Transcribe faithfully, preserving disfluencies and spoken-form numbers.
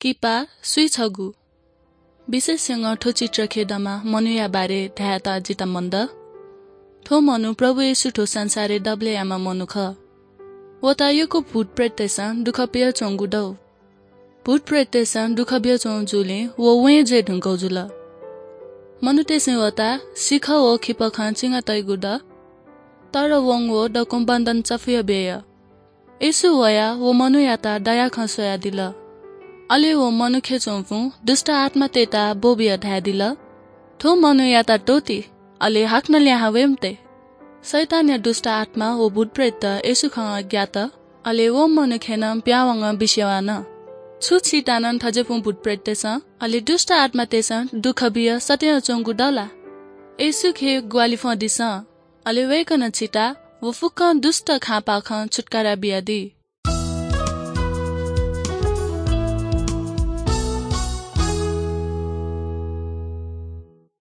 किपा, सुइ छगू? विशेषज्ञं थ्व चित्र खेदमा मनूया बारे धायेत जितः मन दः। थ्व मनू प्रभु येशू थ्व संसारय् दबलय् याःम्ह मनू खः। वयात यक्व भूतप्रेततय्सं दुःख बियाच्वंगु दु। भूतप्रेततय्सं दुःख बियाच्वंगु जूलिं व वँय् जुयाः धुंकल जुल। मनूतय्सं वयात सिखः व खिपखं चिंगा तइगु दु, तर वं व दक्वं बन्धन चफुया बिया। येशू वयाः व मनूयात दया खँ स्वयादिल। अले व मनूखे च्वंपिं दुष्ट आत्मातय्त ब्वःबियाः धयादिल, "थ्व मनूयात त्वःति, अले हाकनं लिहां वये मते।" शैतानया दुष्ट आत्मा व भूतप्रेतत येशू खँ ग्यात, अले व मनूखे नं पिहां वंगः बिस्युं वयाच्वन। छु छितः नं थज्याःपिं भूतप्रेततय्सं, अले दुष्ट आत्मातय्सं दुःख बियाः सत्याच्वंगु दु ला? येशूखे ग्वाहालि फ्वंदिसँ, अले वय्कलं छितः व फुक्कं दुष्ट खापाःखं छुत्कारा बियादी।